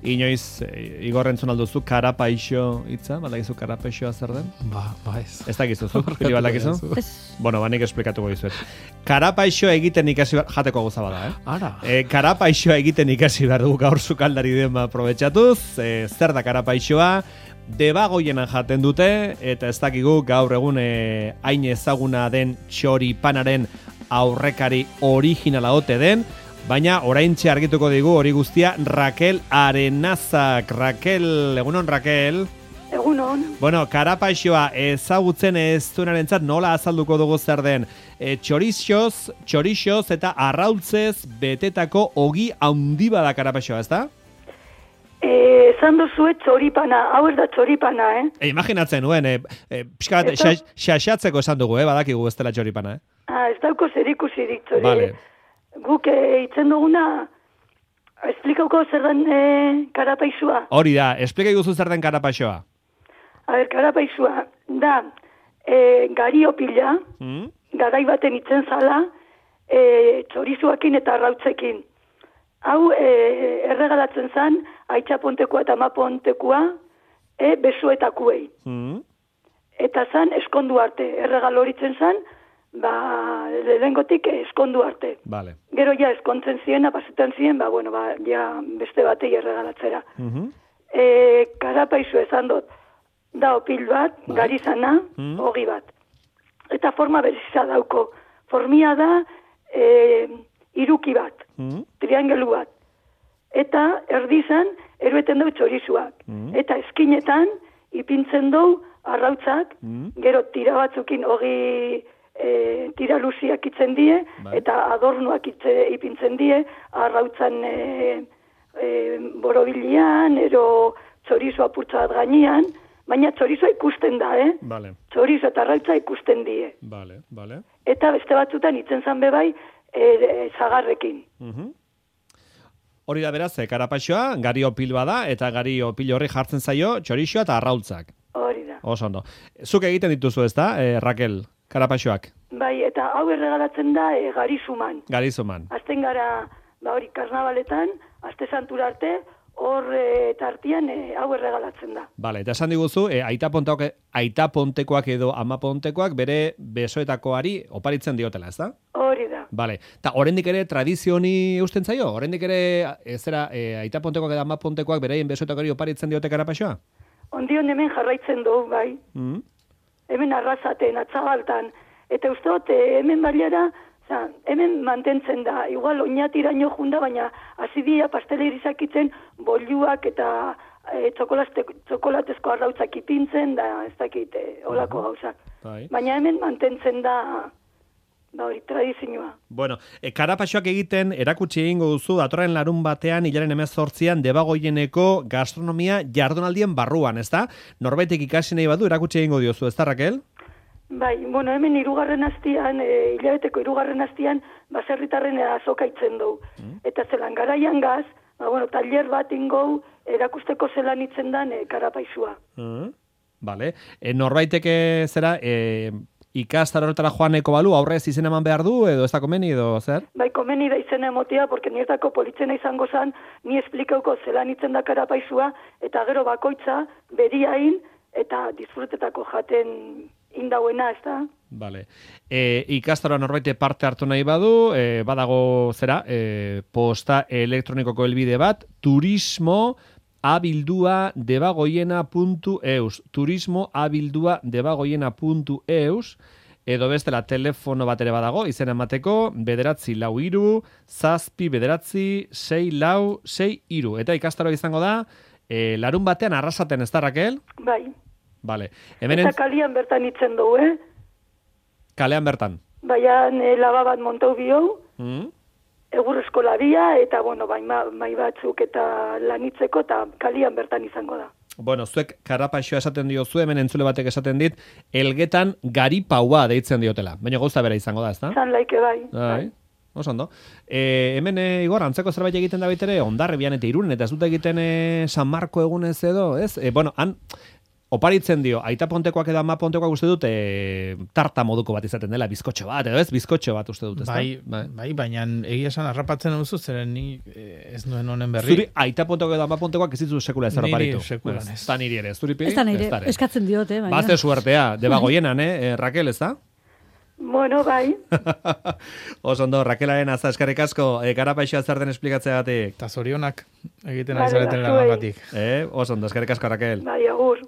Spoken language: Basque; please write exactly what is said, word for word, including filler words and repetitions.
Inoiz, e, Igor entzun alduzu, karapaixo hitza, badakizu karapaixoa zer den? Ba, ba ez. Ez dakizu, zu? Pili badakizu? Bueno, banik esplikatuko dizuet. Karapaixo egiten ikasi behar, jateko gauza bada, eh? Ara. E, karapaixoa egiten ikasi behar dugu gaur sukaldari dema aprobetxatuz, e, zer da karapaixoa, debagoienan jaten dute, eta ez dakigu gaur egun e, hain ezaguna den txoripanaren aurrekari originala ote den, baina oraintxe argituko digu hori guztia Raquel Arenazak. Raquel, egunon Raquel? Egunon. Bueno, karapaixoa ezagutzen ez duenarentzat nola azalduko dugu zer den. E, txorixoz, txorixoz eta arraultzez betetako ogi handi bada karapaixoa, ez da? Eh, esan duzue txoripana, hau ez da txoripana, eh? E, imaginatzen nuen, e, e, pixka bat, Eta... xaxatzeko esan dugu, eh? Badakigu ez dela txoripana, eh? Ah, ez dauko zerikusirik txori. Vale. Guk e, itzen duguna, esplikauko zer den e, karapaixua. Hori da, esplika iguzu zer den karapaixoa. A ber, karapaixua, da, e, gari opila, Mm? garai baten itzen zala, e, txorizuakin eta arrautzekin. Hau, e, erregalatzen zan, aitzapontekoa eta amapontekoa, e, besuetakuei. Mm? Eta zan, eskondu arte, erregal horitzen zan, ba, lehengotik eskondu arte. Vale. Gero ja eskontzen ziena, pasetan ziren, ba, bueno, ba, ja beste batei erregalatzera. Mm-hmm. E, karapaizu esan dut, da opil bat, Bai. gari zana, Mm. ogi bat. Eta forma bereziza dauko. Formia da, e, iruki bat, Mm? triangelu bat. Eta erdizan, erueten dau txorizuak. Mm. Eta eskinetan, ipintzen dau arrautzak, Mm. gero tira batzukin ogi e, tira luziak itzen die, Bai. eta adornuak itze, ipintzen die, arrautzan e, e, borobilian, ero txorizo apurtza bat gainean, baina txorizoa ikusten da, eh? Vale, Txorizo eta arrautza ikusten die. vale, vale. Eta beste batzutan itzen zan bebai, e, e, zagarrekin. Mhm. Hori da beraz, eh, karapaixoa, gari opil bada, eta gari opil horri jartzen zaio, txorixoa eta arraultzak. Hori da. Oso ondo. Zuk egiten dituzu ez da, eh, Raquel, karapaixoak, Bai, eta hau erregalatzen da e, garizuman. garizuman. Azten gara, ba hori, karnabaletan, aste santura arte, hor e, tartian e, hau erregalatzen da. Bale, eta esan diguzu, eh, aita, pontekoak, aita pontekoak edo ama pontekoak bere besoetakoari oparitzen diotela, ez da? Hori da. Bale, eta oraindik ere tradizio honi eusten zaio? Oraindik ere, ez zera, eh, aita pontekoak edo ama pontekoak beraien besoetakoari oparitzen diote karapaixoa? Ondion hemen jarraitzen dugu, bai. Mm? Hemen arrasaten, atzabaltan. Eta uste dut, e, hemen baliara, oza, hemen mantentzen da. Igual, oinatiraino junda, baina azidia pastelerizak itzen, boluak eta e, txokolatezko arrautzak ipintzen, da ez dakit, e, olako gauzak. Bai. Baina hemen mantentzen da, ba hori, tradizioa. Bueno, e, karapaixoak egiten erakutsi egingo duzu datorren larun batean hilaren hemezortzian Debagoieneko gastronomia jardunaldien barruan, ezta? Norbaitek ikasi nahi badu erakutsi egingo diozu, ezta Raquel? Bai, bueno, hemen hirugarren astian, e, hilabeteko hirugarren astian, baserritarren azoka itzen dugu. Mm. Eta zelan garaian gaz, ba, bueno, taller bat ingou, erakusteko zelan itzen dan e, karapaixua. Mm. Vale. E, norbaitek e, zera, e, ikastar horretara joaneko balu, aurrez izen eman behar du, edo ez da komeni, edo zer? Bai, komeni da izena emotia, porque niretako politzena izango zan, ni esplikauko zelan itzen da karapaixua, eta gero bakoitza, beriain, eta disfrutetako jaten indauena, ez da? Vale. E, ikastaroa norbaite parte hartu nahi badu, e, badago zera, e, posta elektronikoko helbide bat, turismo abildua debagoiena puntu eus. Turismo abildua debagoiena puntu eus. Edo bestela telefono bat ere badago, izen emateko, bederatzi lau iru, zazpi bederatzi, sei lau, sei iru. Eta ikastaroa izango da, e, larun batean arrasaten, ez da, Raquel? Bai. Vale. Hemen Eta kalian bertan itzen dugu, eh? kalean bertan. Baian e, laba bat montau biou, Mm? egur eskolabia, eta, bueno, bai, ma, mai batzuk eta lanitzeko, eta kalian bertan izango da. Bueno, zuek karapaixoa esaten diozu, hemen entzule batek esaten dit, elgetan garipaua deitzen diotela. Baina gauza bera izango da, ez da? Zan laike bai. Bai. Oso ondo. E, hemen, e, Igor, antzeko zerbait egiten da baitere, Ondarribian eta Irunen, eta ez dut egiten e, San Marko egunez edo, ez? E, bueno, han, oparitzen dio, aita pontekoak edo ama pontekoak uste dut e, tarta moduko bat izaten dela, bizkotxo bat, edo ez, bizkotxo bat uste dut, ez bai, da? Bai, baina egia esan harrapatzen duzu, zeren ni ez nuen honen berri. Zuri aita pontekoak edo ama pontekoak ez ditu sekula ez oparitu. Niri sekulan ez. Ez da niri ere, zuri piri? Ez da nire, eskatzen diote, baina. Bazte suertea, debagoienan, eh, Raquel, ez da? Bueno, bai. Oso ondo, Raquelaren azta eskarrik asko, e, garapaixoa zer den esplikatzeagatik. Eta zorionak egiten Vale, ari zareten zuei. lan batik. Eh, oso ondo, eskarrik asko, Raquel. Bai, agur.